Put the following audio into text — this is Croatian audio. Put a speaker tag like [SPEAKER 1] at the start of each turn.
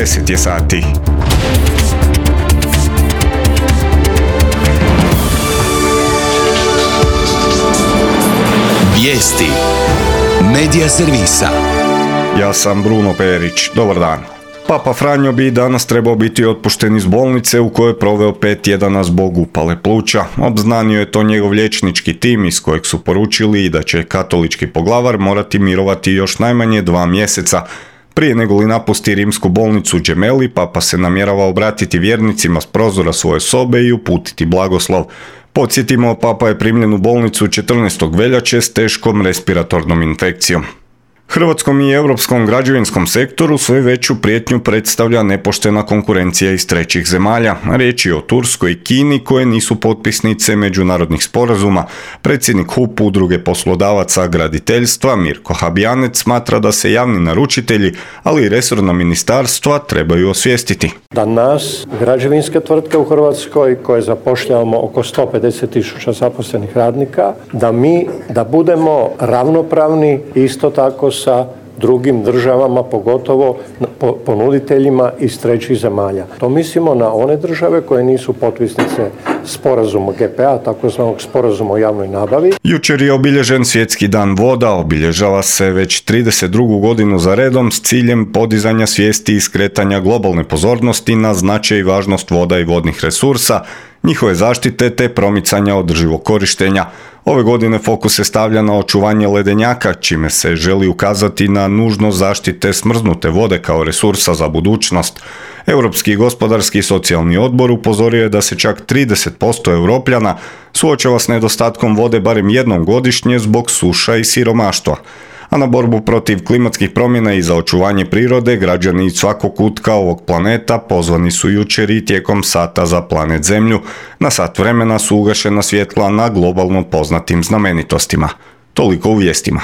[SPEAKER 1] 10 je sati.
[SPEAKER 2] Vijesti Medija servisa.
[SPEAKER 1] Ja sam Bruno Perić. Dobar dan. Papa Franjo bi danas trebao biti otpušten iz bolnice u kojoj je proveo 5 tjedana zbog upale pluća. Obznanio je to njegov liječnički tim iz kojeg su poručili da će katolički poglavar morati mirovati još najmanje 2 mjeseca. Prije nego li napusti rimsku bolnicu Gemelli, Papa se namjerava obratiti vjernicima s prozora svoje sobe i uputiti blagoslov. Podsjetimo, Papa je primljen u bolnicu 14. veljače s teškom respiratornom infekcijom. Hrvatskom i europskom građevinskom sektoru sve veću prijetnju predstavlja nepoštena konkurencija iz trećih zemalja. Riječ je o Turskoj i Kini koje nisu potpisnice međunarodnih sporazuma. Predsjednik HUP Udruge poslodavaca graditeljstva Mirko Habjanec smatra da se javni naručitelji, ali i resorna ministarstva trebaju osvijestiti.
[SPEAKER 3] Da nas, građevinske tvrtke u Hrvatskoj koje zapošljavamo oko 150.000 zaposlenih radnika, da budemo ravnopravni isto tako sa drugim državama, pogotovo ponuditeljima iz trećih zemalja. To mislimo na one države koje nisu potpisnice sporazuma GPA, takozvanog sporazuma o javnoj nabavi.
[SPEAKER 1] Jučer je obilježen Svjetski dan voda, obilježava se već 32. godinu za redom s ciljem podizanja svijesti i skretanja globalne pozornosti na značaj i važnost voda i vodnih resursa, njihove zaštite te promicanja održivog korištenja. Ove godine fokus se stavlja na očuvanje ledenjaka, čime se želi ukazati na nužnost zaštite smrznute vode kao resursa za budućnost. Europski gospodarski i socijalni odbor upozorio je da se čak 30% Europljana suočava s nedostatkom vode barem jednom godišnje zbog suša i siromaštva. A na borbu protiv klimatskih promjena i za očuvanje prirode građani iz svakog kutka ovog planeta pozvani su jučer i tijekom sata za planet Zemlju. Na sat vremena su ugašena svjetla na globalno poznatim znamenitostima. Toliko u vijestima.